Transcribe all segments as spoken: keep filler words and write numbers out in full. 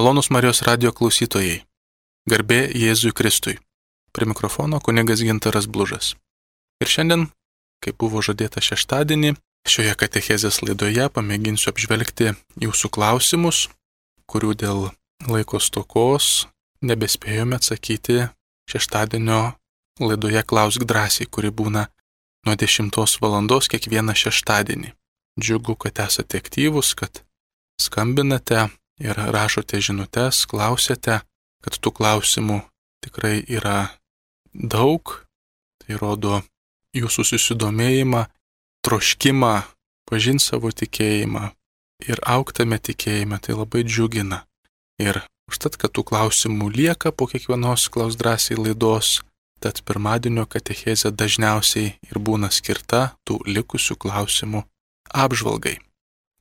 Malonūs Marijos radijo klausytojai, garbė Jėzui Kristui. Prie mikrofono kunigas Gintaras Blužas. Ir šiandien, kaip buvo žadėta šeštadienį, šioje katechezės laidoje pamėginsiu apžvelgti jūsų klausimus, kurių dėl laiko stokos nebespėjome atsakyti šeštadienio laidoje Klausk drąsiai, kuri būna nuo dešimtos valandos kiekvieną šeštadienį. Džiugu, kad esate aktyvūs, kad skambinate ir rašote žinutes, klausėte, kad tų klausimų tikrai yra daug. Tai rodo jūsų susidomėjimą, troškimą, pažinti savo tikėjimą ir augtame tikėjime, tai labai džiugina. Ir užtat, kad tų klausimų lieka po kiekvienos Klausk drąsiai laidos, tad pirmadienio katechezė dažniausiai ir būna skirta tų likusių klausimų apžvalgai.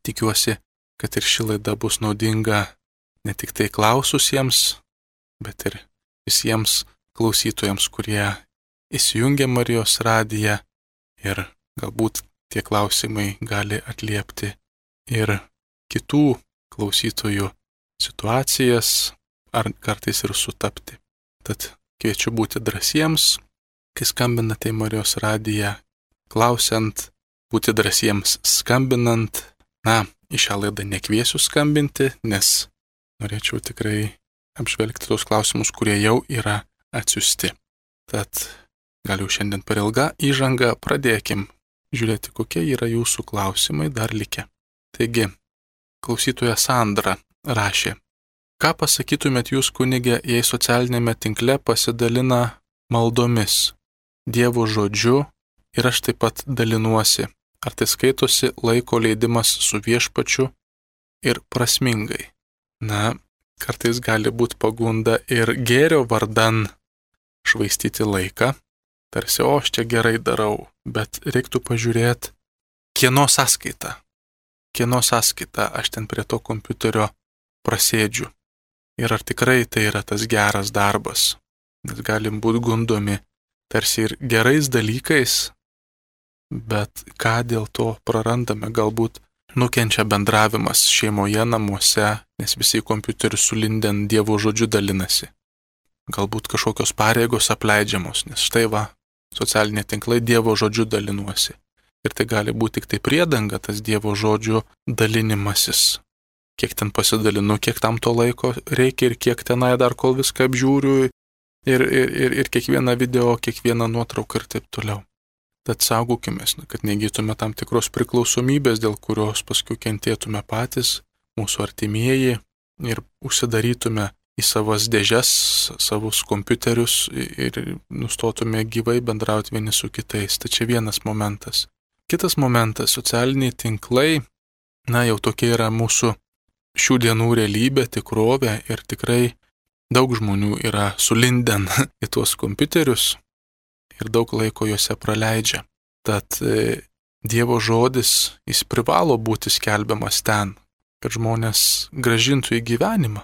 Tikiuosi, kad ir ši laida bus naudinga ne tik tai klaususiems, bet ir visiems klausytojams, kurie įsijungia Marijos radiją ir galbūt tie klausimai gali atliepti ir kitų klausytojų situacijas ar kartais ir sutapti. Tad kviečiu būti drąsiems, kai skambinate į Marijos radiją, klausiant, būti drąsiems skambinant. Na, į šią laidą nekviesiu skambinti, nes norėčiau tikrai apžvelgti tos klausimus, kurie jau yra atsiųsti. Tad gal jau šiandien per ilgą įžangą pradėkim žiūrėti, kokie yra jūsų klausimai dar likę. Taigi, klausytoja Sandra rašė: ką pasakytumėt jūs, kunige, jei socialinėme tinkle pasidalina maldomis, Dievo žodžiu ir aš taip pat dalinuosi? Ar tai skaitosi laiko leidimas su viešpačiu ir prasmingai? Na, kartais gali būti pagunda ir gėrio vardan švaistyti laiką, tarsi, o aš čia gerai darau, bet reiktų pažiūrėti, kieno sąskaita, kieno sąskaita aš ten prie to kompiuterio prasėdžiu. Ir ar tikrai tai yra tas geras darbas, nes galim būti gundomi tarsi ir gerais dalykais, bet ką dėl to prarandame, galbūt nukenčia bendravimas šeimoje, namuose, nes visi į kompiuterį sulindę Dievo žodžiu dalinasi. Galbūt kažkokios pareigos apleidžiamos, nes štai va, socialiniai tinklai Dievo žodžiu dalinuosi. Ir tai gali būti tik tai priedanga, tas Dievo žodžiu dalinimasis. Kiek ten pasidalinu, kiek tam to laiko reikia ir kiek tenai dar kol viską apžiūriu ir, ir, ir, ir kiekvieną video, kiekvieną nuotrauką ir taip toliau. Tad saugokimės, kad negytume tam tikros priklausomybės, dėl kurios paskui kentėtume patys, mūsų artimieji ir užsidarytume į savas dėžes, savus kompiuterius ir nustotume gyvai bendrauti vieni su kitais. Tai čia vienas momentas. Kitas momentas, socialiniai tinklai, na jau tokia yra mūsų šių dienų realybė, tikrovė ir tikrai daug žmonių yra sulinden į tuos kompiuterius ir daug laiko juose praleidžia. Tad e, Dievo žodis, jis privalo būti skelbiamas ten, kad žmonės grąžintų į gyvenimą,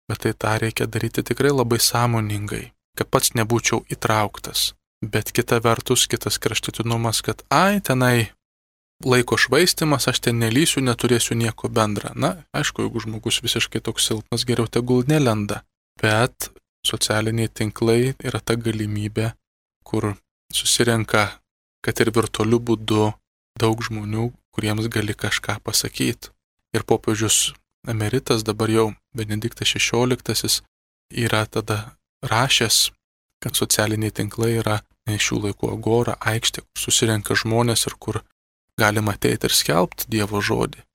bet tai tą reikia daryti tikrai labai sąmoningai, kad pats nebūčiau įtrauktas. Bet kita vertus, kitas kraštutinumas, kad ai, tenai laiko švaistimas, aš ten nelysiu, neturėsiu nieko bendra. Na, aišku, jeigu žmogus visiškai toks silpnas, geriau tegul nelenda. Bet socialiniai tinklai yra ta galimybė, kur susirenka, kad ir virtualiu būdu, daug žmonių, kuriems gali kažką pasakyti. Ir popiežius emeritas, dabar jau Benediktas šešioliktasis, yra tada rašęs, kad socialiniai tinklai yra šių laikų agora, aikštė, kur susirenka žmonės ir kur galima ateiti ir skelbti Dievo žodį.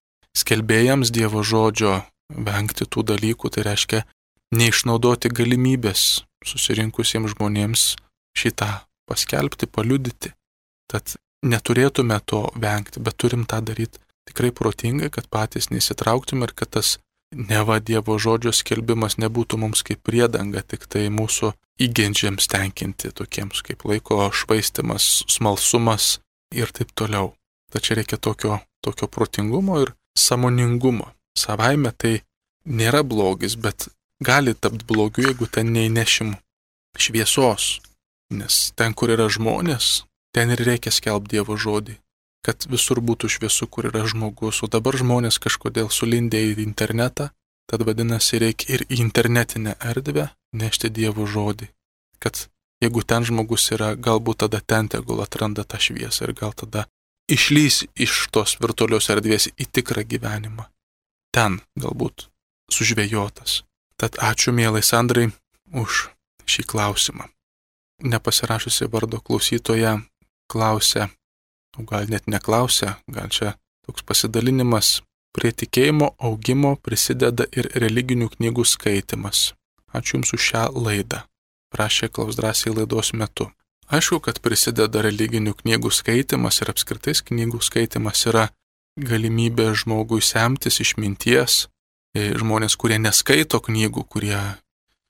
Skelbėjams Dievo žodžio vengti tų dalykų, tai reiškia neišnaudoti galimybės susirinkusiems žmonėms šitą paskelbti, paliudyti. Tad neturėtume to vengti, bet turim tą daryti tikrai protingai, kad patys neįsitrauktume ir kad tas neva Dievo žodžio skelbimas nebūtų mums kaip priedanga, tik tai mūsų įgeidžiams tenkinti, tokiems kaip laiko švaistimas, smalsumas ir taip toliau. Tačiau reikia tokio, tokio protingumo ir sąmoningumo. Savaime tai nėra blogis, bet gali tapti blogiu, jeigu ten neįnešim šviesos. Nes ten, kur yra žmonės, ten ir reikia skelbti Dievo žodį, kad visur būtų šviesu, kur yra žmogus. O dabar žmonės kažkodėl sulindė į internetą Tad vadinasi, reikia ir į internetinę erdvę nešti Dievo žodį, kad jeigu ten žmogus yra, galbūt tada ten tegul atranda tą šviesą ir gal tada išlys iš tos virtualios erdvės į tikrą gyvenimą. Ten galbūt sužvejotas. Tad ačiū, mielai Sandrai, už šį klausimą. Nepasirašusi vardo klausytoja klausia, o gal net neklausia, gal čia toks pasidalinimas. Prie tikėjimo augimo prisideda ir religinių knygų skaitimas. Ačiū Jums už šią laidą, prašė klausdrasiai laidos metu. Aišku, kad prisideda religinių knygų skaitimas ir apskritai knygų skaitimas yra galimybė žmogui semtis išminties. Žmonės, kurie neskaito knygų, kurie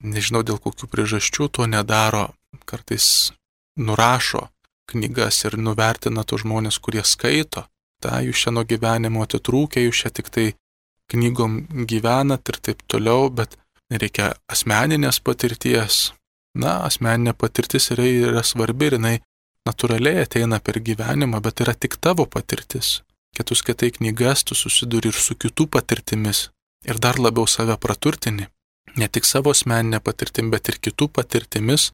nežinau dėl kokių priežasčių to nedaro, kartais nurašo knygas ir nuvertina tos žmonės, kurie skaito. Ta, jūs čia nuo gyvenimo atitrūkę, jūs čia tik tai knygom gyvenat ir taip toliau, bet reikia asmeninės patirties. Na, asmeninė patirtis yra, yra svarbi ir jinai natūraliai ateina per gyvenimą, bet yra tik tavo patirtis. Kai tu skaitai knygas, tu susiduri ir su kitų patirtimis ir dar labiau save praturtini. Ne tik savo asmeninę patirtim, bet ir kitų patirtimis,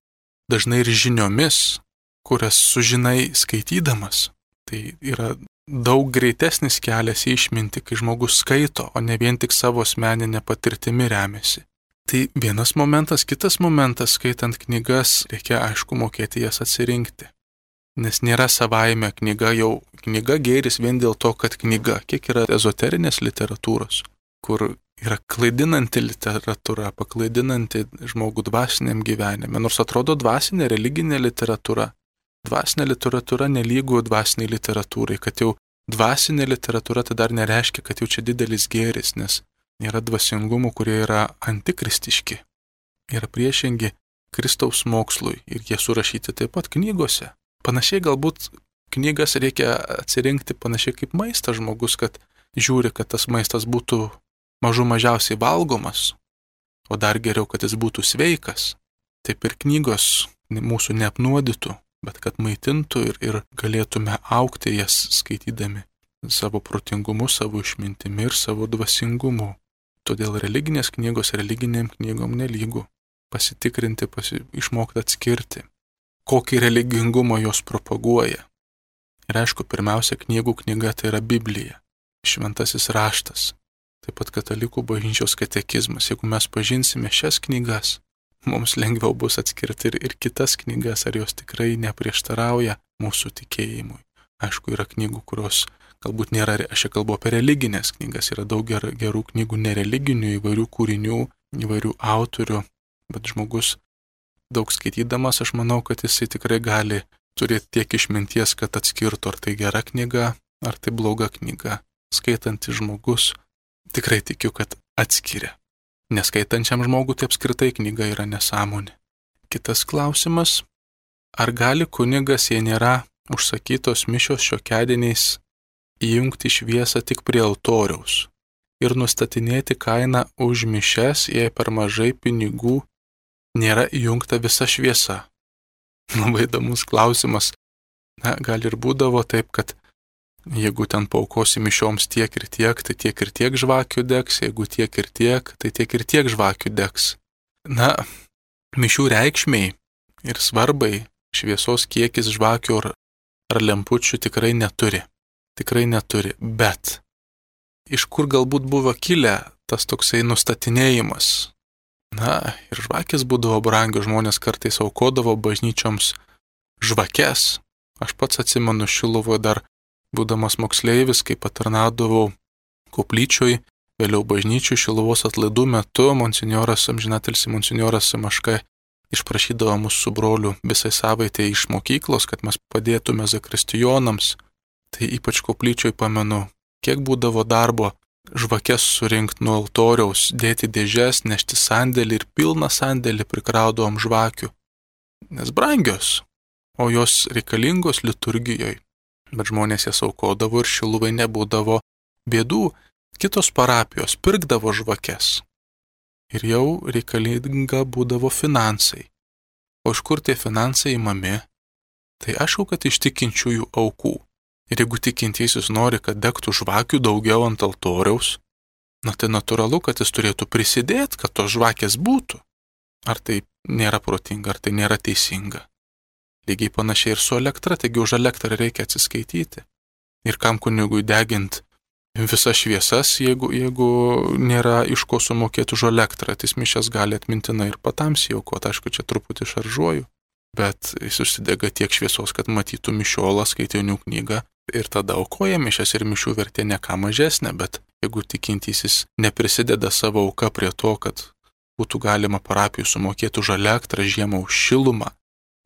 dažnai ir žiniomis, kurias sužinai skaitydamas. Tai yra daug greitesnis kelias į išmintį, kai žmogus skaito, o ne vien tik savo asmeninę patirtimi remiasi. Tai vienas momentas, kitas momentas, skaitant knygas, reikia aišku mokėti jas atsirinkti. Nes nėra savaime knyga jau, knyga gėris vien dėl to, kad knyga, kiek yra ezoterinės literatūros, kur yra klaidinanti literatūra, paklaidinanti žmogų dvasiniam gyvenime, nors atrodo dvasinė religinė literatūra. Dvasinė literatūra nelygų dvasiniai literatūrai, kad jau dvasinė literatūra tai dar nereiškia, kad jau čia didelis gėris, nes yra dvasingumų, kurie yra antikristiški, yra priešingi Kristaus mokslui ir jie surašyti taip pat knygose. Panašiai galbūt knygas reikia atsirinkti panašiai kaip maistas žmogus, kad žiūri, kad tas maistas būtų mažų mažiausiai valgomas, o dar geriau, kad jis būtų sveikas. Taip ir knygos mūsų neapnuodytų, bet kad maitintų ir, ir galėtume augti jas skaitydami savo protingumu, savo išmintimi ir savo dvasingumu. Todėl religinės knygos religiniam knygom nelygų. Pasitikrinti, pasi, išmokti atskirti, kokį religingumą jos propaguoja. Ir aišku, pirmiausia, knygų knyga tai yra Biblija, šventasis raštas, taip pat katalikų bažnyčios katekizmas. Jeigu mes pažinsime šias knygas, mums lengviau bus atskirti ir, ir kitas knygas, ar jos tikrai neprieštarauja mūsų tikėjimui. Aišku, yra knygų, kurios galbūt nėra, aš čia kalbu apie religinės knygas, yra daug ger, gerų knygų nereliginių, įvairių kūrinių, įvairių autorių, bet žmogus daug skaitydamas, aš manau, kad jisai tikrai gali turėti tiek išminties, kad atskirtų, ar tai gera knyga, ar tai bloga knyga. Skaitantis žmogus tikrai tikiu, kad atskiria. Neskaitančiam žmogui tai apskritai knyga yra nesąmonė. Kitas klausimas, ar gali kunigas, jei nėra užsakytos mišios šiokiadieniais, įjungti šviesą tik prie altoriaus ir nustatinėti kainą už mišias, jei per mažai pinigų nėra įjungta visa šviesa? Labai įdomus klausimas. Na, gal ir būdavo taip, kad jeigu ten paukosi mišioms tiek ir tiek, tai tiek ir tiek žvakių degs, jeigu tiek ir tiek, tai tiek ir tiek žvakių degs. Na, mišių reikšmiai ir svarbai šviesos kiekis žvakių ar, ar lempučių tikrai neturi. Tikrai neturi, bet iš kur galbūt buvo kilę tas toksai nustatinėjimas? Na, ir žvakės būdavo brangios, žmonės kartais aukodavo bažnyčioms žvakes. Aš pats atsimenu Šiluvoje dar būdamas moksleivis, kai patarnaudavau koplyčioj, vėliau bažnyčių Šiluvos atlaidų metu, monsinjoras, amžinatilsį monsinjoras Simaška išprašydavo mus su broliu visai savaitę iš mokyklos, kad mes padėtume zakristijonams. Tai ypač koplyčioj pamenu, kiek būdavo darbo žvakes surinkti nuo altoriaus, dėti dėžes, nešti sandėlį ir pilną sandėlį prikraudavom žvakių. Nes brangios, o jos reikalingos liturgijoje. Bet žmonės jas aukodavo ir Šiluvai nebūdavo bėdų, kitos parapijos pirkdavo žvakes. Ir jau reikalinga būdavo finansai. O iš kur tie finansai imami? Tai aišku, kad iš tikinčiųjų aukų. Ir jeigu tikintysis nori, kad degtų žvakių daugiau ant altoriaus, na tai natūralu, kad jis turėtų prisidėti, kad tos žvakės būtų. Ar tai nėra protinga, ar tai nėra teisinga. Lygiai panašiai ir su elektra, taigi už elektrą reikia atsiskaityti. Ir kam kunigui deginti visas šviesas, jeigu, jeigu nėra iš ko sumokėti už elektrą, tai mišias gali atmintinai ir patamsiai aukoti. Aišku, čia truputį šaržuoju, bet jis užsidega tiek šviesos, kad matytų mišiolą, skaitinių knygą ir tada aukoja mišias ir mišių vertė ne ką mažesnė, bet jeigu tikintysis neprisideda savo auka prie to, kad būtų galima parapijų sumokėti už elektrą, žiemą už šilumą,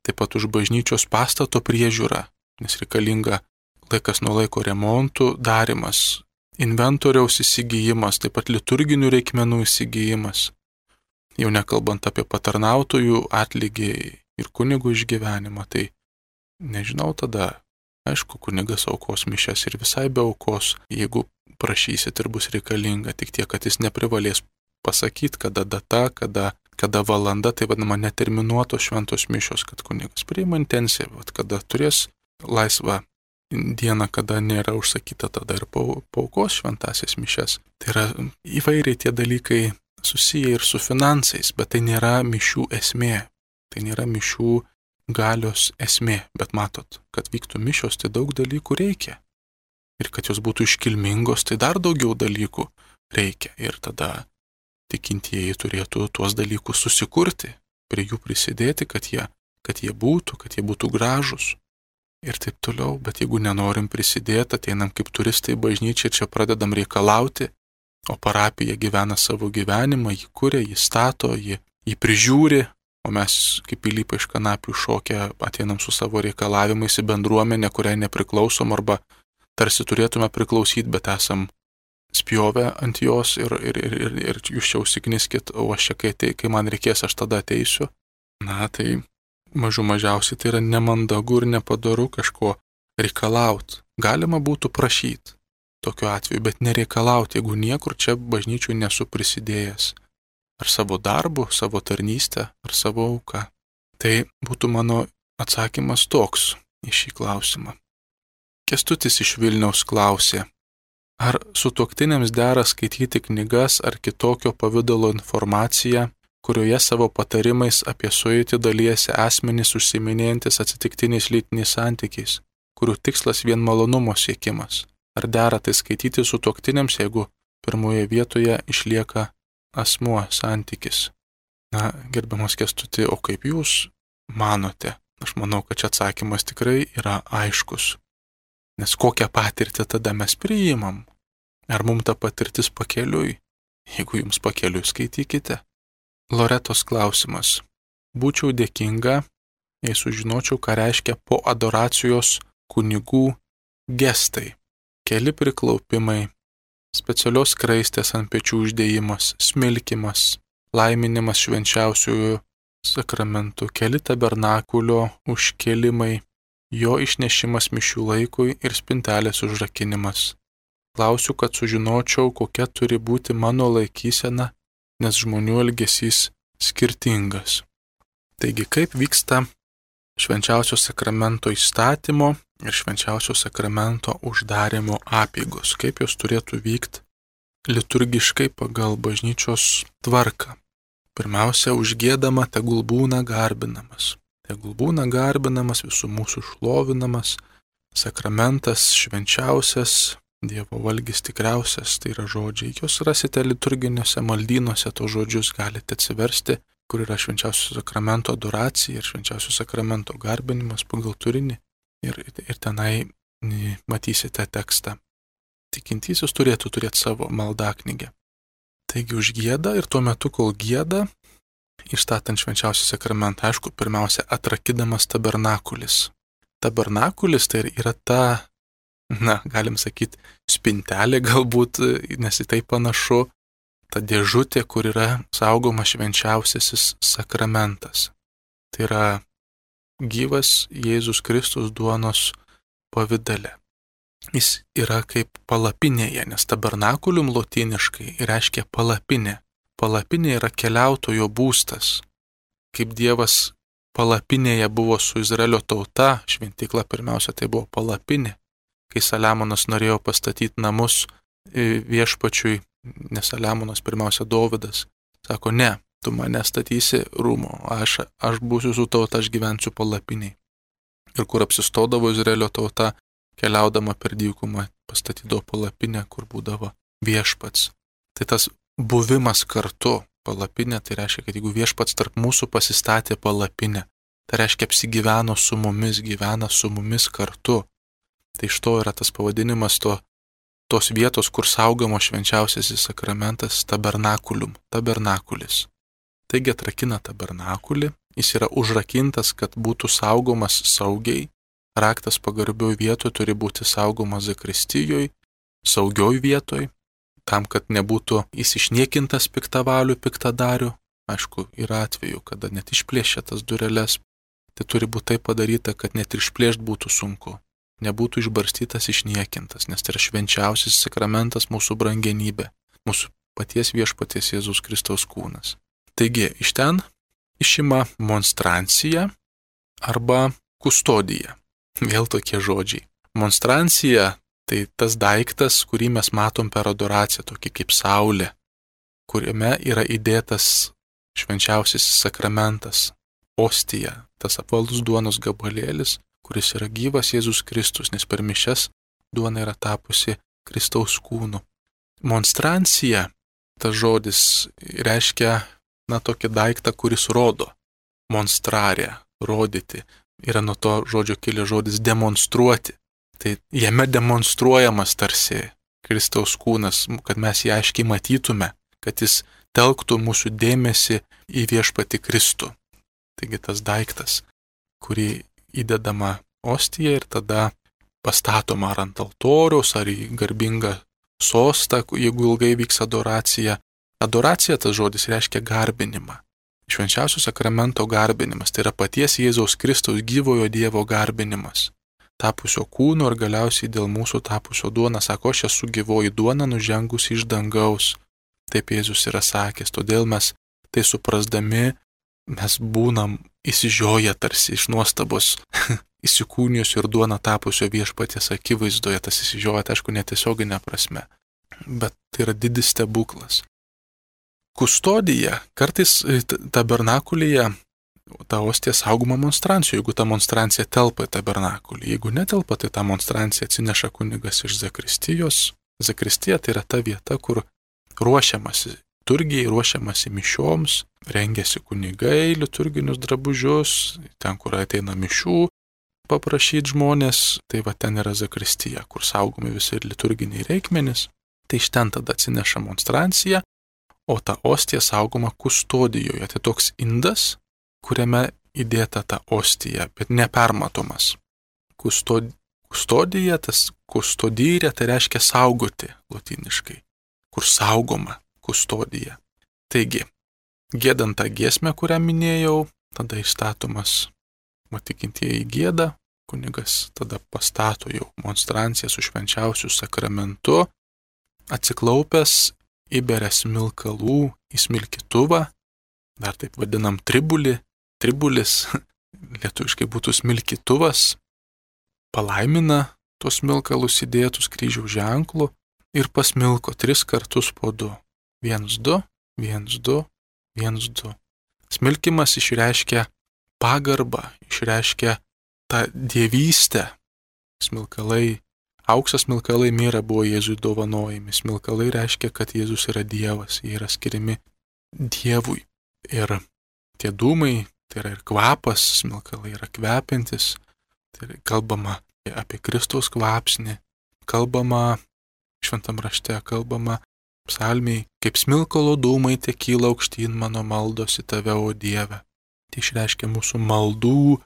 taip pat už bažnyčios pastato priežiūrą, nes reikalinga laikas nuo laiko remontų darimas, inventoriaus įsigijimas, taip pat liturginių reikmenų įsigijimas, jau nekalbant apie patarnautojų atlygį ir kunigų išgyvenimą, tai nežinau tada, aišku, kunigas aukos mišias ir visai be aukos, jeigu prašysit ir bus reikalinga, tik tiek, kad jis neprivalės pasakyti, kada data, kada, kada valanda, tai vadinama neterminuotos šventos mišios, kad kunigas priima intenciją, vat, kada turės laisvą dieną, kada nėra užsakyta, tada ir paaukos šventasias mišias. Tai yra įvairiai tie dalykai susiję ir su finansais, bet tai nėra mišių esmė, tai nėra mišių galios esmė, bet matot, kad vyktų mišios, tai daug dalykų reikia. Ir kad jos būtų iškilmingos, tai dar daugiau dalykų reikia. Ir tada tikintieji turėtų tuos dalykus susikurti, prie jų prisidėti, kad jie, kad jie būtų, kad jie būtų gražus. Ir taip toliau, bet jeigu nenorim prisidėti, ateinam kaip turistai į bažnyčią ir čia pradedam reikalauti, o parapija gyvena savo gyvenimą, jį kuria, jį stato, jį, jį prižiūri, o mes kaip pilypai iš kanapių šokę ateinam su savo reikalavimais į bendruomenę, kuriai nepriklausom arba tarsi turėtume priklausyti, bet esam spjovę ant jos ir, ir, ir, ir, ir jūs čia užsikniskit, o aš čia, kai, tai, kai man reikės, aš tada ateisiu. Na, tai mažų mažiausiai tai yra nemandagu ir nepadaru kažko reikalauti. Galima būtų prašyti tokiu atveju, bet nereikalauti, jeigu niekur čia bažnyčių nesu prisidėjęs. Ar savo darbu, savo tarnystę, ar savo auką. Tai būtų mano atsakymas toks į šį klausimą. Kęstutis iš Vilniaus klausė, ar sutuoktiniams dera skaityti knygas ar kitokio pavidalo informaciją, kurioje savo patarimais apie sueitį dalijasi asmenys užsiiminėjantis atsitiktiniais lytiniais santykiais, kurių tikslas vien malonumo siekimas. Ar dera tai skaityti sutuoktiniams, jeigu pirmoje vietoje išlieka asmuo santykis? Na, gerbiamas Kęstuti, o kaip jūs manote? Aš manau, kad čia atsakymas tikrai yra aiškus. Nes kokią patirtį tada mes priimam? Ar mums ta patirtis pakeliui? Jeigu jums pakeliui, skaitykite. Loretos klausimas. Būčiau dėkinga, jei sužinočiau, ką reiškia po adoracijos kunigų gestai. Keli priklaupimai, specialios skraistės ant pečių uždėjimas, smilkimas, laiminimas švenčiausiųjų sakramentų, keli tabernakulio užkėlimai, jo išnešimas mišių laikui ir spintelės užrakinimas. Klausiu, kad sužinočiau, kokia turi būti mano laikysena, nes žmonių elgesys skirtingas. Taigi, kaip vyksta švenčiausio sakramento įstatymo ir švenčiausio sakramento uždarimo apeigos, kaip jos turėtų vykti liturgiškai pagal bažnyčios tvarką. Pirmiausia, užgiedama tegul būna garbinamas. Tegul būna garbinamas, visų mūsų šlovinamas, sakramentas švenčiausias, Dievo valgis tikriausias, tai yra žodžiai. Jūs rasite liturginiuose maldynuose, to žodžius galite atsiversti, kur yra švenčiausio sakramento adoracija ir švenčiausio sakramento garbinimas pagal turinį. Ir, ir tenai matysite tekstą. Tikintysis turėtų turėti savo maldaknygę. Taigi užgieda ir tuo metu, kol gieda, išstatant švenčiausią sakramentą, aišku, pirmiausia, atrakidamas tabernakulis. Tabernakulis tai yra ta, na, galim sakyti, spintelė galbūt, nes į tai panašu, ta dėžutė, kur yra saugoma švenčiausiasis sakramentas. Tai yra gyvas Jėzus Kristus duonos pavidale. Jis yra kaip palapinėje, nes tabernakulium lotyniškai reiškia palapinė. Palapinė yra keliautojo būstas. Kaip Dievas palapinėje buvo su Izraelio tauta, šventykla pirmiausia tai buvo palapinė. Kai Saliamonas norėjo pastatyti namus viešpačiui nes Saliamonas pirmiausia Dovydas sako, ne, tu mane statysi rūmo, aš, aš būsiu su tauta, aš gyvensiu palapiniai. Ir kur apsistodavo Izraelio tauta, keliaudama per dykumą, pastatydavo palapinę, kur būdavo viešpats. Tai tas buvimas kartu palapinė, tai reiškia, kad jeigu viešpats tarp mūsų pasistatė palapinę, tai reiškia apsigyveno su mumis, gyvena su mumis kartu. Tai iš to yra tas pavadinimas to, tos vietos, kur saugomo švenčiausiasis sakramentas tabernakulium, tabernakulis. Taigi atrakina tabernakulį, jis yra užrakintas, kad būtų saugomas saugiai, raktas pagarbioj vietoje turi būti saugomas zakristijoje, saugioj vietoje, tam, kad nebūtų jis išniekintas piktavalių, piktadarių. Aišku, yra atveju, kada net išplėšia tas dureles, tai turi būti taip padaryta, kad net ir išplėšt būtų sunku, nebūtų išbarstytas, išniekintas, nes tai yra švenčiausias sakramentas, mūsų brangenybė, mūsų paties viešpaties Jėzaus Kristaus kūnas. Taigi, iš ten išima monstrancija arba kustodija. Vėl tokie žodžiai. Monstrancija tai tas daiktas, kurį mes matom per adoraciją, tokį kaip saulė, kuriame yra įdėtas švenčiausias sakramentas, ostija, tas apvalus duonos gabalėlis, kuris yra gyvas Jėzus Kristus, nes per mišias duona yra tapusi Kristaus kūnu. Monstrancija, tas žodis reiškia, na, tokį daiktą, kuris rodo. Monstrarė, rodyti. Yra nuo to žodžio kilęs žodis demonstruoti. Tai jame demonstruojamas tarsi Kristaus kūnas, kad mes jį aiškiai matytume, kad jis telktų mūsų dėmesį į viešpatį Kristų. Taigi tas daiktas, kurį įdedama ostija ir tada pastatoma ar ant altoriaus, ar į garbingą sostą, jeigu ilgai vyks adoracija. Adoracija, tas žodis, reiškia garbinimą. Švenčiausio sakramento garbinimas, tai yra paties Jėzaus Kristaus gyvojo Dievo garbinimas. Tapusio kūno ir galiausiai dėl mūsų tapusio duona, sako, aš esu gyvoji duona nužengusi iš dangaus. Taip Jėzus yra sakęs, todėl mes tai suprasdami, mes būnam įsižioję tarsi iš nuostabos, įsikūnijus ir duona tapusio viešpaties akivaizdoje, tas įsižioję, aišku, netiesioginė prasme, bet tai yra didis stebuklas. Kustodija, kartais tabernakulyje ta ostija saugoma monstrancijų, jeigu ta monstrancija telpa į tabernakulį. Jeigu netelpa, tai ta monstrancija atsineša kunigas iš zakristijos. Zakristija tai yra ta vieta, kur ruošiamasi turgiai, ruošiamasi mišioms, rengiasi kunigai, liturginius drabužius, ten, kur ateina mišių paprašyti žmonės, tai va ten yra zakristija, kur saugomi visi liturginiai reikmenys. Tai iš ten tada atsineša monstrancija, o ta ostija saugoma kustodijoje. Tai toks indas, kuriame įdėta ta ostija, bet nepermatomas. Kustod... Kustodija, tas kustodyrė, tai reiškia saugoti lotyniškai, kur saugoma kustodija. Taigi, giedant tą giesmę, kurią minėjau, tada įstatomas tikintieji gieda, kunigas tada pastato jau monstranciją su švenčiausiu sakramentu, atsiklaupęs įberia smilkalų į smilkytuvą, dar taip vadinam tribulį, tribulis, lietuviškai būtų smilkytuvas, palaimina tos smilkalus įdėtus kryžiaus ženklu ir pasmilko tris kartus po du. Vienas du, vienas du, vienas du. Smilkimas išreiškia pagarbą, išreiškia tą dievystę. Smilkalai, auksas smilkalai mėra buvo Jėzui dovanojami. Smilkalai reiškia, kad Jėzus yra Dievas, jie yra skiriami Dievui. Ir tie dūmai, tai yra ir kvapas, smilkalai yra kvepiantis, tai yra kalbama apie Kristaus kvapsnį, kalbama šventam rašte, kalbama psalmiai, kaip smilkalo dūmai te kyla aukštyn mano maldos į tave, o Dieve. Tai išreiškia mūsų maldų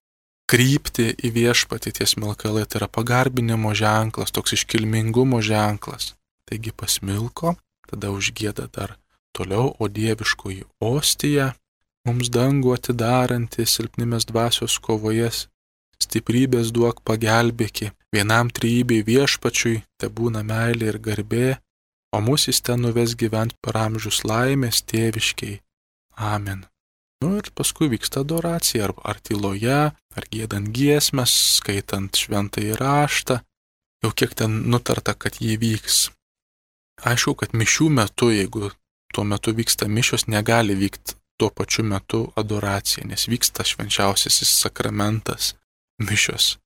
krypti į viešpatį, tie smilkalai, tai yra pagarbinimo ženklas, toks iškilmingumo ženklas. Taigi pasmilko, tada užgieda dar toliau, o dieviškoji ostija, mums dangų atidaranti, silpnimės dvasios kovoje, stiprybės duok pagelbėki, vienam trejybei viešpačiui, te būna meilė ir garbė, o mus jis ten nuves gyvent per amžius laimės tėviškiai. Amen. Nu ir paskui vyksta adoracija, ar, ar tyloje, ar giedant giesmes, skaitant šventąjį raštą, jau kiek ten nutarta, kad jį vyks. Aišku, kad mišių metu, jeigu tuo metu vyksta mišios, negali vykti tuo pačiu metu adoracija, nes vyksta švenčiausiasis sakramentas, mišios.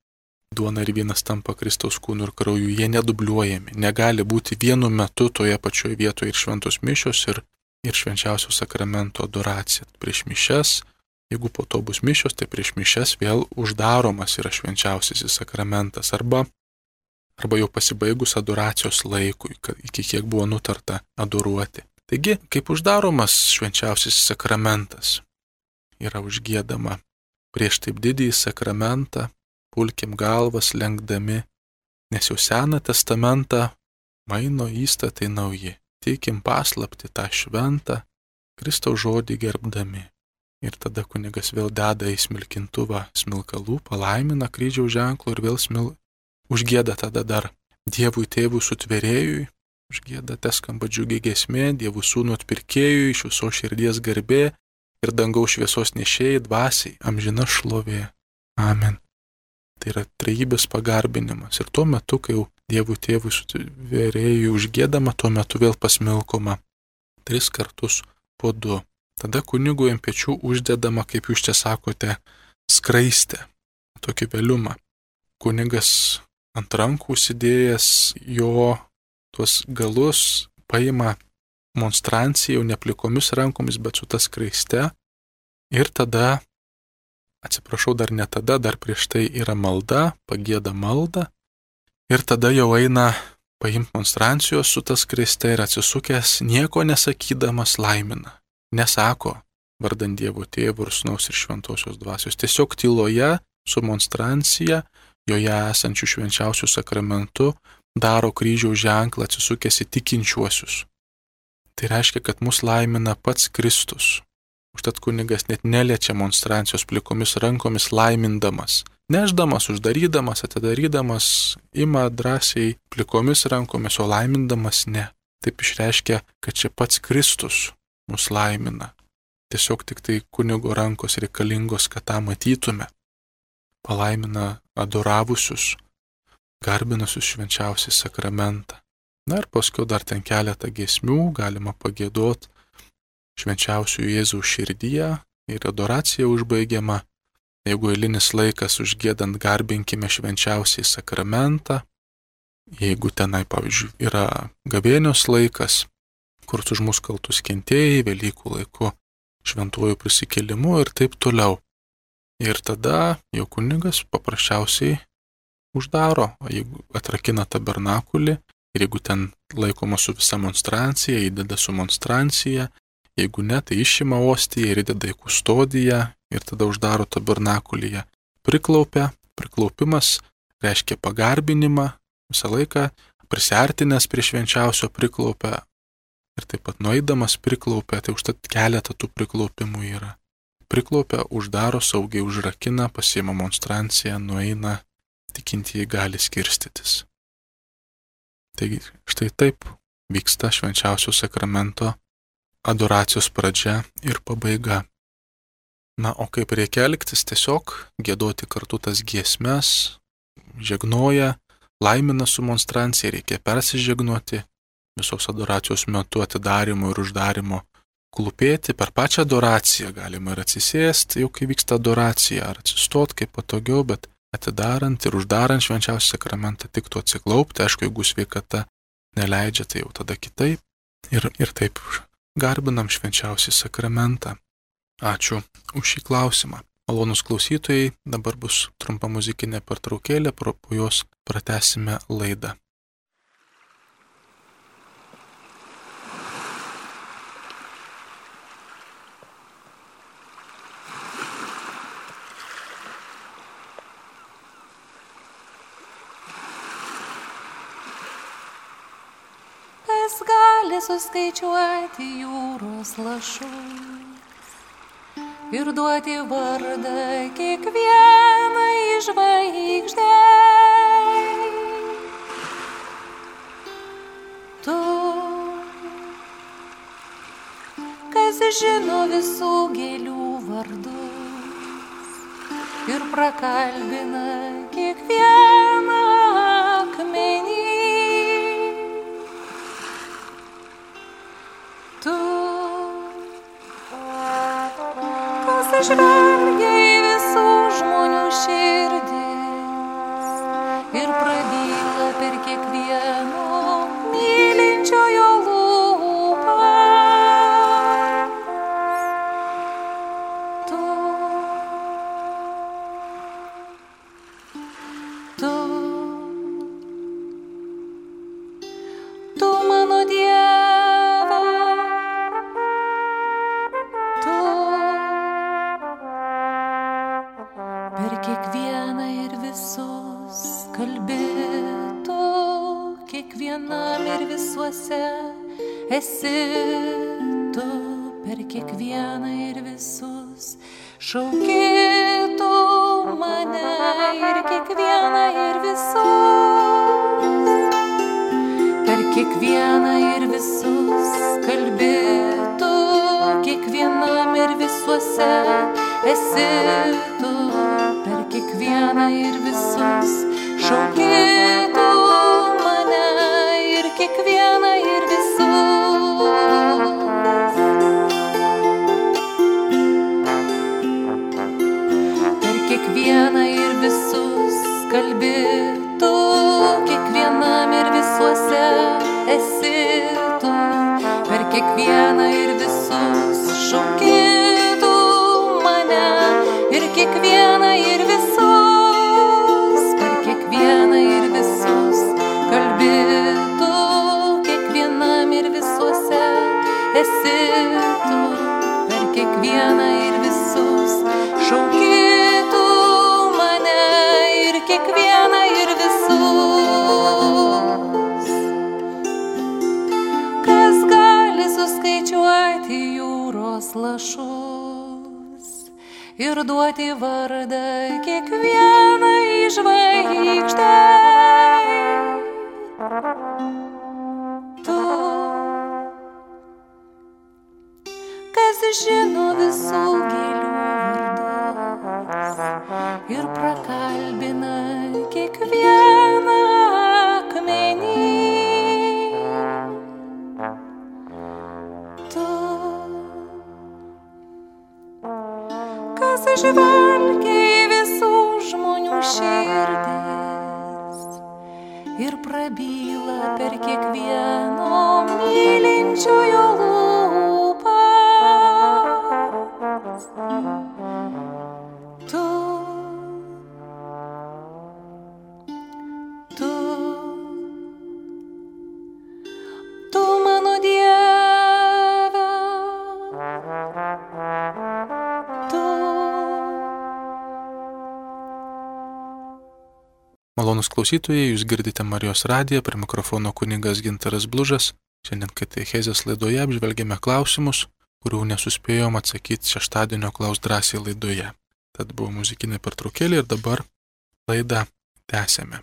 Duona ir vynas tampa Kristaus kūnu ir krauju, jie nedubliuojami. Negali būti vienu metu toje pačioje vietoje ir šventos mišios ir, ir švenčiausio sakramento adoracija. Prieš mišias, jeigu po to bus mišios, tai prieš mišias vėl uždaromas yra švenčiausiasis sakramentas arba, arba jau pasibaigus adoracijos laikui, iki kiek buvo nutarta adoruoti. Taigi, kaip uždaromas švenčiausiasis sakramentas, yra užgiedama prieš taip didįjį sakramentą, pulkim galvas lenkdami, nes jau Seną testamentą maino įstatai nauji, tikim paslapti tą šventą, Kristaus žodį gerbdami. Ir tada kunigas vėl deda į smilkintuvą smilkalų, palaimina kryžiaus ženklų ir vėl smil... užgieda tada dar Dievui tėvui sutvėrėjui, užgieda te skamba džiugi giesmė, Dievų sūnų atpirkėjui, iš visos širdies garbė ir dangaus šviesos nešėjai dvasiai, amžina šlovė. Amen. Tai yra trejybės pagarbinimas. Ir tuo metu, kai jau Dievų tėvui sutvėrėjui užgiedama, tuo metu vėl pasmilkoma tris kartus po du. Tada kunigui ant pečių uždedama, kaip jūs čia sakote, skraistė, tokį veliumą. Kunigas ant rankų užsidėjęs jo tuos galus paima monstranciją, jau ne plikomis rankomis, bet su ta skraiste. Ir tada, atsiprašau, dar ne tada, dar prieš tai yra malda, pagieda maldą. Ir tada jau eina paimti monstrancijos su ta skraiste ir atsisukęs, nieko nesakydamas laimina. Nesako, vardant Dievo Tėvo ir Sūnaus ir Šventosios Dvasios. Tiesiog tyloje su monstrancija, joje esančių švenčiausių sakramentų, daro kryžiaus ženklą atsisukęs į tikinčiuosius. Tai reiškia, kad mus laimina pats Kristus. Užtat kunigas net neliečia monstrancijos plikomis rankomis laimindamas. Neždamas, uždarydamas, atidarydamas, ima drąsiai plikomis rankomis, o laimindamas ne. Taip išreiškia, kad čia pats Kristus mus laimina. Tiesiog tik tai kunigo rankos reikalingos, kad tą matytume. Palaimina adoravusius, garbinusius švenčiausią sakramentą. Na ir paskui dar ten keletą giesmių galima pagėdot švenčiausių Jėzaus širdyje ir adoracija užbaigiama. Jeigu eilinis laikas užgiedant garbinkime švenčiausiai sakramentą, jeigu tenai, pavyzdžiui, yra gavėnios laikas, kur už mus kaltus kentėjai, Velykų laiku šventuoju prisikėlimu ir taip toliau. Ir tada jau kunigas paprasčiausiai uždaro, jeigu atrakina tabernakulį, ir jeigu ten laikoma su visa monstrancija, įdeda su monstrancija, jeigu ne, tai išima ostiją ir įdeda į kustodiją ir tada uždaro tabernakulyje. Priklaupia, priklaupimas reiškia pagarbinimą, visą laiką prisiartinęs prie švenčiausio priklaupia ir taip pat nueidamas priklaupia, tai užtat keletą tų priklaupimų yra. Priklaupia, uždaro, saugiai užrakina, pasiima monstranciją, nueina, tikintieji gali skirstytis. Taigi štai taip vyksta švenčiausio sakramento adoracijos pradžia ir pabaiga. Na, o kaip reikia elgtis, tiesiog giedoti kartu tas giesmes, žegnoja, laimina su monstrancija, reikia persižegnuoti visos adoracijos metu atidarimo ir uždarimo, klūpėti per pačią adoraciją, galima ir atsisėsti, jau kai vyksta adoracija, ar atsistot kaip patogiau, bet atidarant ir uždarant švenčiausią sakramentą tiktų atsiklaupti, aišku, jeigu sveikata neleidžia, tai jau tada kitaip. Ir, ir taip garbinam švenčiausią sakramentą. Ačiū už šį klausimą. Malonūs klausytojai, dabar bus trumpa muzikinė pertraukėlė, po jos pratęsime laidą. Kas gali suskaičiuoti jūros lašus ir duoti vardą kiekvienai žvaigždei? Tu, kas žino visų gėlių vardus ir prakalbina kiekvieną akmenį, kas žvelgia į visų žmonių širdis ir prabyla per kiekvieno mylinčiojo lūpas. Tu, tu, tu mano Dieve, tu per kiekvieną ir visus kalbi, tu kiekvienam ir visuose esi, tu per kiekvieną ir visus šauki, tu mane ir kiekvieną ir visus, per kiekvieną ir visus kalbi, tu kiekvienam ir visuose esi, tu per kiekvieną ir visus šauki, tu mane ir kiekvieną ir visus. Per kiekvieną ir visus kalbi, tu kiekvienam ir visuose esi, tu per kiekvieną ir visus šauki, tu mane ir kiekvieną ir visus, per kiekvieną ir visus kalbi, tu kiekvienam ir visuose esi, tu per kiekvieną ir visus šauki, tu mane ir kiekvieną ir visus. Kas gali suskaičiuoti jūros lašus ir duoti vardą kiekvienai žvaigždei? Tu, kas žino visų gėlių vardus ir prakalbina kiekvieną akmenį. Tu, kas žvelgia į visų žmonių širdis ir prabyla per kiekvieno mylinčiojo lūpas. Tu, tu, tu mano Dieve, tu. Malonūs klausytojai, jūs girdite Marijos radiją, prie mikrofono kunigas Gintaras Blužas. Šiandien katechezės laidoje apžvelgėme klausimus, kurių nesuspėjom atsakyti šeštadienio Klaus drąsiai laidoje. Tad buvo muzikinė pertraukėlė ir dabar laidą tęsėme.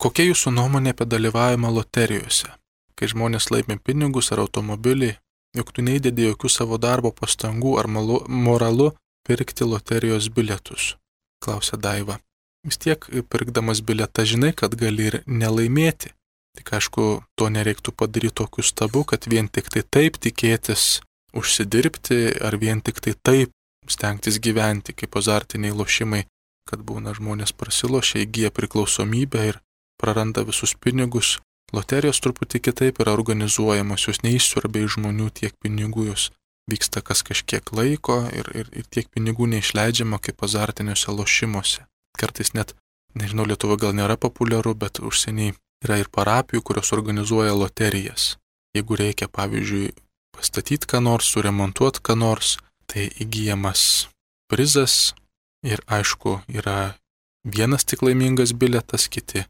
Kokia jūsų nuomonė apie dalyvavimą loterijose? Kai žmonės laimi pinigus ar automobilį, juk tu neįdedi jokių savo darbo pastangų ar malu, moralu pirkti loterijos bilietus, klausė Daiva. Vis tiek, pirkdamas bilietą, žinai, kad gali ir nelaimėti. Tik aišku, to nereiktų padaryti tokiu stabu, kad vien tik tai taip tikėtis užsidirbti, ar vien tik tai taip stengtis gyventi, kaip azartiniai lošimai, kad būna žmonės prasilošia, įgyja priklausomybę ir praranda visus pinigus. Loterijos truputį kitaip yra organizuojamos, jos neišsiurbia iš žmonių tiek pinigų, jos vyksta kas kažkiek laiko ir, ir, ir tiek pinigų neišleidžiama kaip azartiniuose lošimuose. Kartais net, nežinau, Lietuva gal nėra populiaru, bet užsieniai yra ir parapijų, kurios organizuoja loterijas. Jeigu reikia, pavyzdžiui, pastatyti ką nors, suremontuoti ką nors, tai įgyjamas prizas ir aišku, yra vienas tik laimingas bilietas, kiti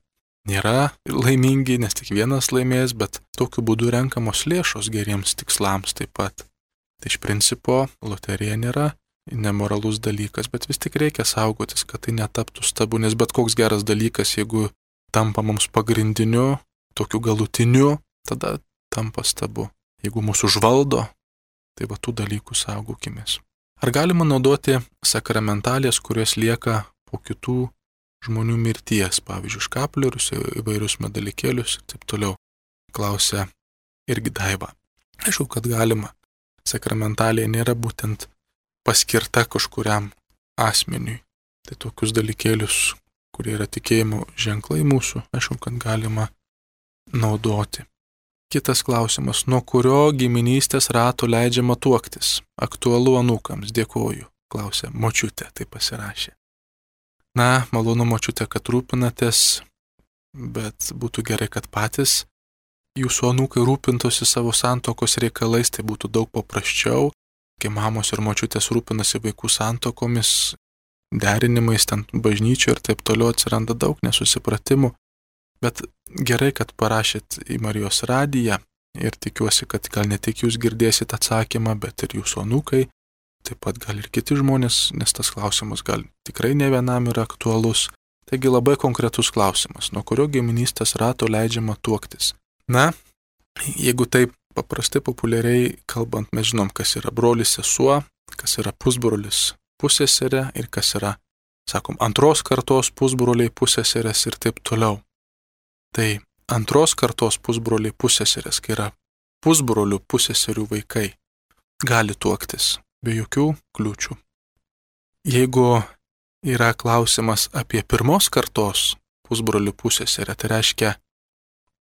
nėra laimingi, nes tik vienas laimės, bet tokiu būdu renkamos lėšos geriems tikslams taip pat. Tai iš principo loterija nėra nemoralus dalykas, bet vis tik reikia saugotis, kad tai netaptų stabu, nes bet koks geras dalykas, jeigu tampa mums pagrindiniu, tokiu galutiniu, tada tampa stabu. Jeigu mūsų užvaldo, tai va tų dalykų saugokimės. Ar galima naudoti sakramentalės, kurios lieka po kitų žmonių mirties, pavyzdžiui, škaplierius, įvairius medalikėlius ir taip toliau? Klausė irgi Daiva. Aišku, kad galima. Sakramentalė nėra būtent paskirta kažkuriam asmeniui. Tai tokius dalykėlius, kurie yra tikėjimo ženklai mūsų, aišku, kad galima naudoti. Kitas klausimas, nuo kurio giminystės rato leidžiama tuoktis? Aktualu anūkams, dėkoju, klausė močiutė, tai pasirašė. Na, malonu močiutė, kad rūpinatės, bet būtų gerai, kad patys jūsų anūkai rūpintųsi savo santokos reikalais, tai būtų daug paprasčiau, kai mamos ir močiutės rūpinasi vaikų santokomis, derinimais ten bažnyčio ir taip toliau atsiranda daug nesusipratimų, bet gerai, kad parašėt į Marijos radiją ir tikiuosi, kad gal ne tik jūs girdėsit atsakymą, bet ir jūsų anūkai, taip pat gal ir kiti žmonės, nes tas klausimas gal tikrai ne vienam yra aktualus. Taigi labai konkretus klausimas, nuo kurio giminystės rato leidžiama tuoktis. Na, jeigu taip paprastai populiariai kalbant, mes žinom, kas yra brolis sesuo, kas yra pusbrolis pusseserė ir kas yra, sakom, antros kartos pusbroliai pusseserės ir taip toliau. Tai antros kartos pusbroliai pusseserės, kai yra pusbrolių pusseserių vaikai, gali tuoktis be jokių kliūčių. Jeigu yra klausimas apie pirmos kartos pusbrolių pusseserę, tai reiškia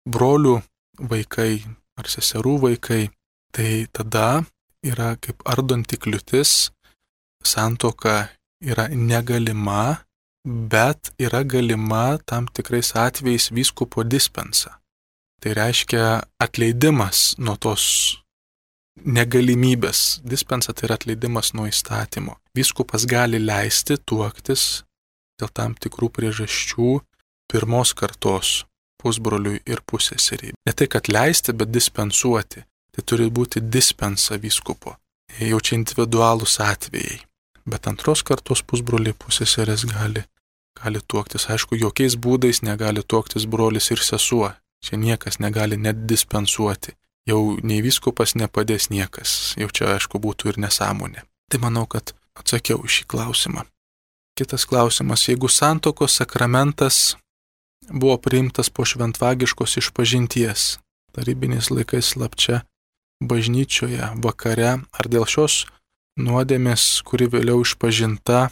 brolių vaikai ar seserų vaikai, tai tada yra kaip ardanti kliūtis, santuoka yra negalima, bet yra galima tam tikrais atvejais vyskupo dispensa. Tai reiškia atleidimas nuo tos negalimybės. Dispensa tai yra atleidimas nuo įstatymo. Vyskupas gali leisti tuoktis dėl tam tikrų priežasčių pirmos kartos pusbroliui ir pusseseriai. Ne tai, kad leisti, bet dispensuoti. Tai turi būti dispensa vyskupo. Jau čia individualūs atvejai. Bet antros kartos pusbroliai pusseserės gali, gali tuoktis. Aišku, jokiais būdais negali tuoktis brolis ir sesuo. Čia niekas negali net dispensuoti. Jau nei vyskupas nepadės niekas. Jau čia, aišku, būtų ir nesąmonė. Tai manau, kad atsakiau šį klausimą. Kitas klausimas. Jeigu santuokos sakramentas buvo priimtas po šventvagiškos išpažinties, tarybiniais laikais slapčia bažnyčioje vakare, ar dėl šios nuodėmės, kuri vėliau išpažinta,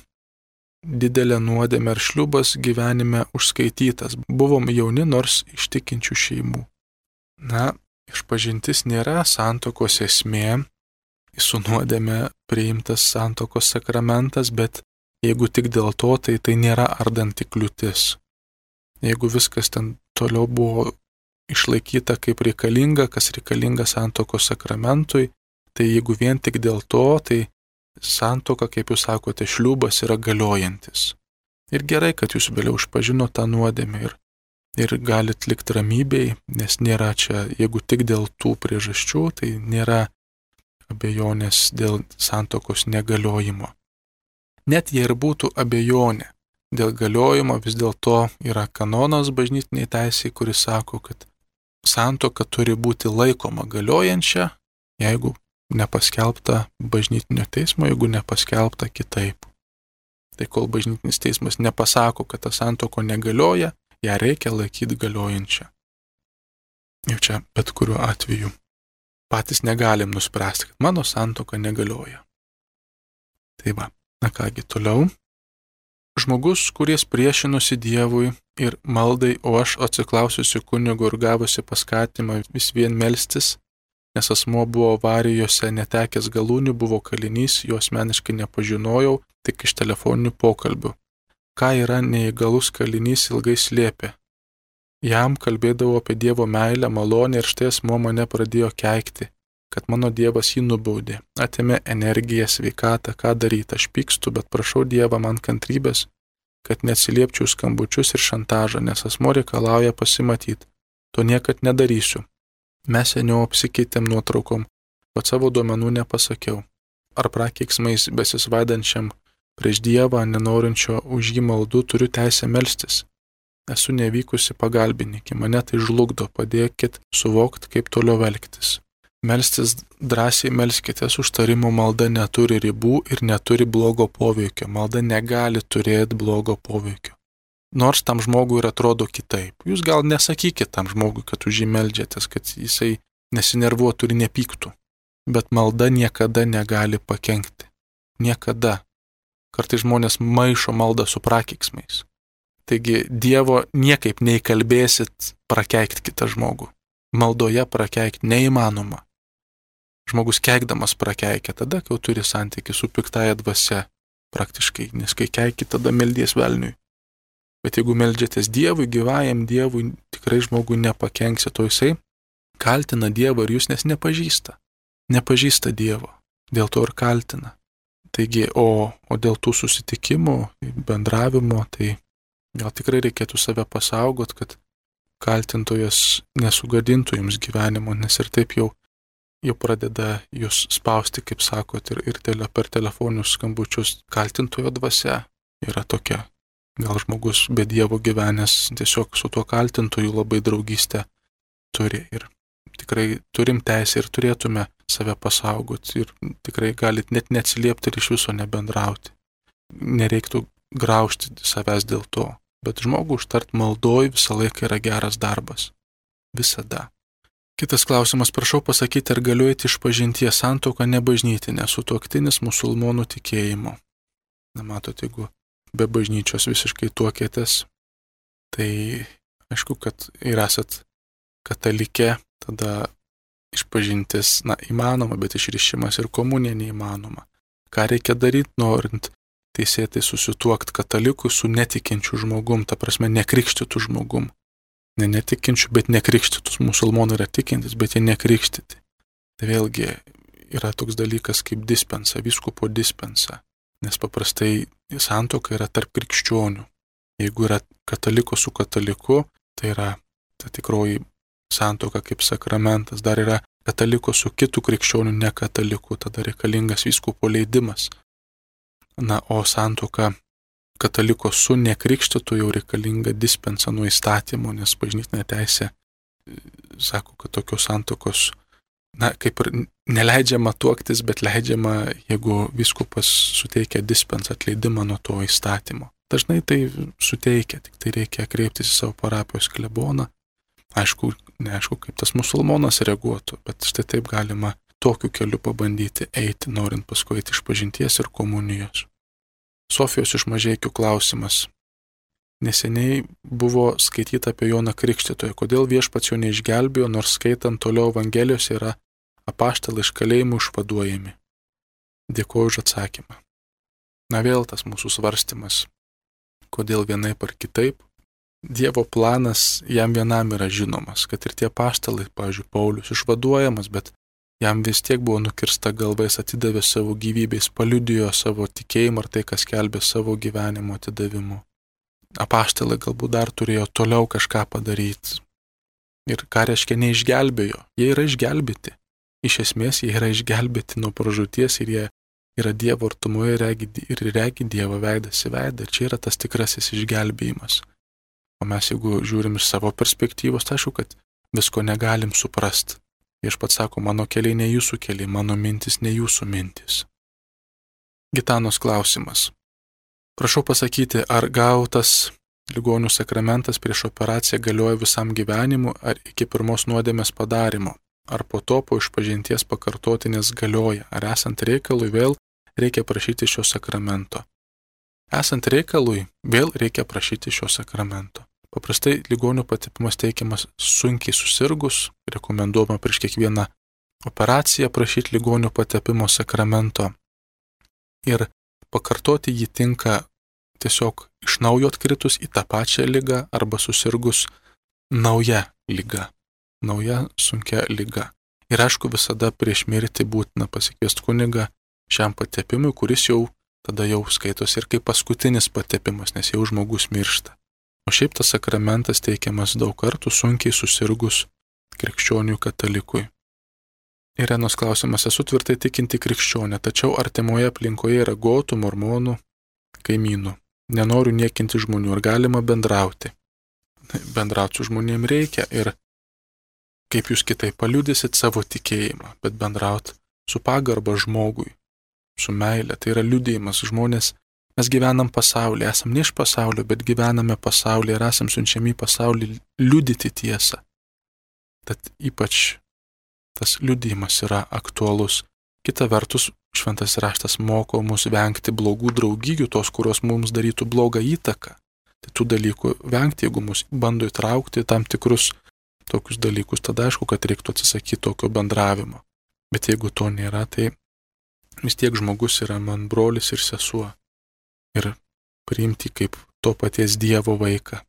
didelė nuodėmė ar šliubas gyvenime užskaitytas. Buvom jauni, nors iš tikinčių šeimų. Na, išpažintis nėra santuokos esmė, su nuodėmė priimtas santuokos sakramentas, bet jeigu tik dėl to, tai tai nėra ardanti kliūtis. Jeigu viskas ten toliau buvo išlaikyta kaip reikalinga, kas reikalinga santuokos sakramentui, tai jeigu vien tik dėl to, tai santuoka, kaip jūs sakote, šliubas yra galiojantis. Ir gerai, kad jūs vėliau išpažino tą nuodėmę ir, ir galit likti ramybėj, nes nėra čia, jeigu tik dėl tų priežasčių, tai nėra abejonės dėl santuokos negaliojimo. Net jei ir būtų abejonė dėl galiojimo, vis dėlto yra kanonas bažnytiniai teisei, kuris sako, kad santuoka turi būti laikoma galiojančia, jeigu nepaskelbta bažnytinio teismo, jeigu nepaskelbta kitaip. Tai kol bažnytinis teismas nepasako, kad ta santuoka negalioja, ją reikia laikyti galiojančią. Jau čia bet kuriuo atveju patys negalim nuspręsti, kad mano santuoka negalioja. Tai va, na kągi toliau. Žmogus, kuris priešinosi Dievui ir maldai, o aš atsiklausiusi kunigo ir gavusi paskatimą vis vien melstis, nes asmuo buvo avarijose netekęs galūnių, buvo kalinys, jo asmeniškai nepažinojau, tik iš telefoninių pokalbių. Ką yra neįgalus kalinys ilgai slėpė. Jam kalbėdavo apie Dievo meilę, malonę ir štai asmuo mane pradėjo keikti, kad mano Dievas jį nubaudė, atėmė energiją, sveikatą, ką daryti, aš pykstu, bet prašau Dievą man kantrybės, kad neatsiliepčiau skambučius ir šantažą, nes asmuo reikalauja pasimatyti. To niekad nedarysiu. Mes seniau apsikeitėm nuotraukom, bet savo duomenų nepasakiau. Ar prakeiksmais besisvaidančiam prieš Dievą, nenorinčio už jį maldų, turiu teisę melstis. Esu nevykusi pagalbininkė, mane tai žlugdo, padėkit suvokti, kaip toliau elgtis. Melstis drąsiai melskitės, užtarimo malda neturi ribų ir neturi blogo poveikio. Malda negali turėti blogo poveikio. Nors tam žmogui ir atrodo kitaip. Jūs gal nesakykit tam žmogui, kad už jį meldžiatės, kad jisai nesinervuotų ir nepyktų. Bet malda niekada negali pakenkti. Niekada. Kartais žmonės maišo maldą su prakeiksmais. Taigi Dievo niekaip neįkalbėsit prakeikti kitą žmogų. Maldoje prakeikti neįmanoma. Žmogus keikdamas prakeikia tada, kai turi santykį su piktaja dvasia praktiškai, nes kai keiki, tada meldies velniui. Bet jeigu meldžiatės Dievui, gyvajam Dievui, tikrai žmogui nepakenksi, to jisai kaltina Dievą ir jūs nes nepažįsta. Nepažįsta Dievo, dėl to ir kaltina. Taigi, o, o dėl tų susitikimų, bendravimo, tai gal tikrai reikėtų save pasaugot, kad kaltintojas nesugadintų jums gyvenimo, nes ir taip jau, jau pradeda jūs spausti, kaip sakot, ir, ir tele, per telefoninius skambučius. Kaltintojo dvasia yra tokia. Gal žmogus be Dievo gyvenęs tiesiog su tuo kaltintoju labai draugystę turi. Ir tikrai turim teisę ir turėtume save pasaugoti. Ir tikrai galit net neatsiliepti ir iš viso nebendrauti. Nereiktų graužti savęs dėl to. Bet žmogų užtart maldoj visą laiką yra geras darbas. Visada. Kitas klausimas, prašau pasakyti, ar galiu eiti iš pažinties santuoką nebažnytinę, sutuoktinis musulmonų tikėjimo. Na, matot, jeigu be bažnyčios visiškai tuokėtės, tai aišku, kad ir esat katalikė, tada išpažintis, na, įmanoma, bet išrišimas ir komunija neįmanoma. Ką reikia daryti, norint teisėtai susituokti katalikui su netikinčiu žmogum, ta prasme nekrikštytų žmogum. Ne netikinčių, bet nekrikštytus. Musulmonai yra tikintis, bet jie nekrikštyti. Tai vėlgi yra toks dalykas kaip dispensa, vyskupo dispensa. Nes paprastai santuoka yra tarp krikščionių. Jeigu yra kataliko su kataliku, tai yra ta tikroji santuoka kaip sakramentas. Dar yra kataliko su kitų krikščionių nekataliku, tada reikalingas vyskupo leidimas. Na, o santuoka kataliko su nekrikštytu jau reikalinga dispensa nuo įstatymo, nes bažnytinė teisė sako, kad tokios santuokos, na, kaip ir neleidžiama tuoktis, bet leidžiama, jeigu vyskupas suteikia dispensą atleidimą nuo to įstatymo. Dažnai tai suteikia, tik tai reikia kreiptis į savo parapijos kleboną. Aišku, neaišku, kaip tas musulmonas reaguotų, bet štai taip galima tokiu keliu pabandyti eiti, norint paskui eiti iš pažinties ir komunijos. Sofijos iš Mažeikių klausimas. Neseniai buvo skaityta apie Joną Krikštytoją. Kodėl viešpats jo neišgelbėjo, nors skaitant toliau Evangelijose yra apaštalai iš kalėjimų išvaduojami? Dėkuoju už atsakymą. Na vėl tas mūsų svarstymas. Kodėl vienaip ar kitaip? Dievo planas jam vienam yra žinomas, kad ir tie apaštalai, pavyzdžiui, Paulius išvaduojamas, bet jam vis tiek buvo nukirsta galva, jis atidavė savo gyvybę, jis paliudijo savo tikėjimą ar tai, kas skelbė savo gyvenimo atidavimu. Apaštalai galbūt dar turėjo toliau kažką padaryti. Ir ką reiškia neišgelbėjo? Jie yra išgelbėti. Iš esmės jie yra išgelbėti nuo pražūties ir jie yra Dievo artumoje ir regi Dievo veidas į veidą. Ir čia yra tas tikrasis išgelbėjimas. O mes jeigu žiūrim iš savo perspektyvos, tai aišku, kad visko negalim suprasti. Viešpats sako, mano keliai ne jūsų keliai, mano mintis ne jūsų mintis. Gitanos klausimas. Prašau pasakyti, ar gautas ligonių sakramentas prieš operaciją galioja visam gyvenimu, ar iki pirmos nuodėmės padarimo, ar po to po išpažinties pakartotinės galioja, ar esant reikalui vėl reikia prašyti šio sakramento. Esant reikalui vėl reikia prašyti šio sakramento. Paprastai ligonių patepimas teikiamas sunkiai susirgus, rekomenduojama prieš kiekvieną operaciją prašyti ligonių patepimo sakramento. Ir pakartoti jį tinka tiesiog iš naujo atkritus į tą pačią ligą arba susirgus nauja liga, nauja sunkia liga. Ir aišku, visada prieš mirtį būtina pasikviesti kunigą šiam patepimui, kuris jau tada jau skaitos ir kaip paskutinis patepimas, nes jau žmogus miršta. O šiaip tas sakramentas teikiamas daug kartų sunkiai susirgus krikščionių katalikui. Irenos klausimas, esu tvirtai tikinti krikščionė, tačiau artimoje aplinkoje yra gotų, mormonų, kaimynų. Nenoriu niekinti žmonių, ar galima bendrauti. Bendrauti su žmonėm reikia ir kaip jūs kitaip paliudysit savo tikėjimą, bet bendrauti su pagarba žmogui, su meile, tai yra liudijimas. Žmonės, mes gyvenam pasaulyje, esam ne iš pasaulio, bet gyvename pasaulyje ir esam siunčiami į pasaulį liudyti tiesą. Tad ypač tas liudijimas yra aktualus Kita vertus, šventas raštas moko mus vengti blogų draugijų, tos, kurios mums darytų blogą įtaką. Tai tų dalykų vengti, jeigu mus bando įtraukti tam tikrus tokius dalykus, tada aišku, kad reiktų atsisakyti tokio bendravimo. Bet jeigu to nėra, tai vis tiek žmogus yra man brolis ir sesuo. Ir priimti kaip to paties Dievo vaiką.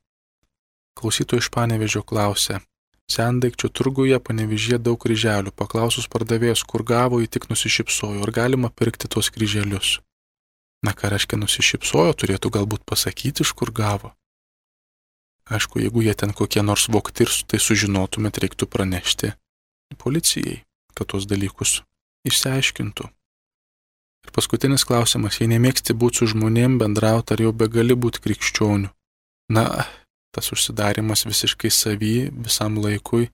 Klausytojai iš Panevėžio klausė, sendaikčio turguje Panevėžyje daug kryželių, paklausus pardavėjas, kur gavo, jį tik nusišypsojo, ar galima pirkti tos kryželius. Na, ką reiškia nusišypsojo, turėtų galbūt pasakyti, iš kur gavo. Aišku, jeigu jie ten kokie nors vogti ir tai sužinotumėt, reiktų pranešti policijai, kad tos dalykus išsiaiškintų. Ir paskutinis klausimas, jei nemėgsti būti su žmonėm, bendrauti, ar jau begali būti krikščionių? Na, tas užsidarimas visiškai savy, visam laikui,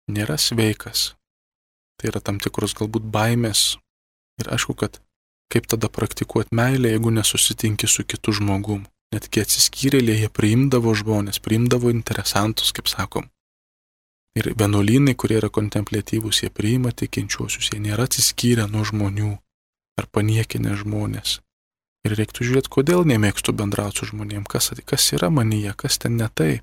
nėra sveikas. Tai yra tam tikros galbūt baimės. Ir aišku, kad kaip tada praktikuoti meilę, jeigu nesusitinki su kitu žmogum. Netgi atsiskyrėliai, jie priimdavo žmonės, priimdavo interesantus, kaip sakom. Ir vienuolynai, kurie yra kontempliatyvūs, jie priima tikinčiuosius, jie nėra atsiskyrę nuo žmonių ar paniekinę žmonės. Ir reiktų žiūrėti, kodėl nemėgstu bendrauti su žmonėm, kas, kas yra manyje, kas ten ne tai.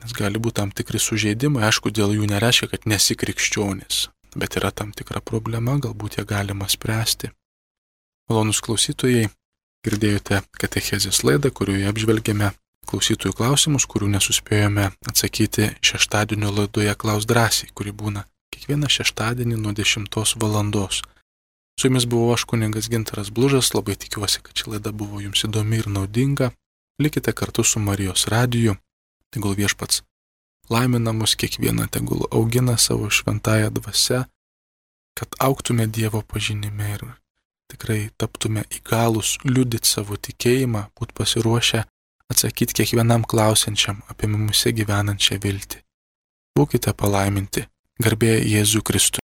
Nes gali būti tam tikri sužeidimai, aišku, dėl jų nereiškia, kad nesi krikščionis, bet yra tam tikra problema, galbūt ją galima spręsti. Malonūs klausytojai, girdėjote katechezės laidą, kurioje apžvelgėme klausytojų klausimus, kurių nesuspėjome atsakyti šeštadienio laidoje Klaus drąsiai, kuri būna kiekvieną šeštadienį nuo dešimtos valandos. Su jumis buvau aš kunigas Gintaras Blužas, labai tikiuosi, kad ši laida buvo jums įdomi ir naudinga. Likite kartu su Marijos radiju, tegul viešpats laimina mus kiekvieną, tegul augina savo šventąją dvasią, kad augtume Dievo pažinime ir tikrai taptume įgalūs liudyti savo tikėjimą, būt pasiruošę atsakyti kiekvienam klausiančiam apie mumyse gyvenančią viltį. Būkite palaiminti, garbė Jėzui Kristui.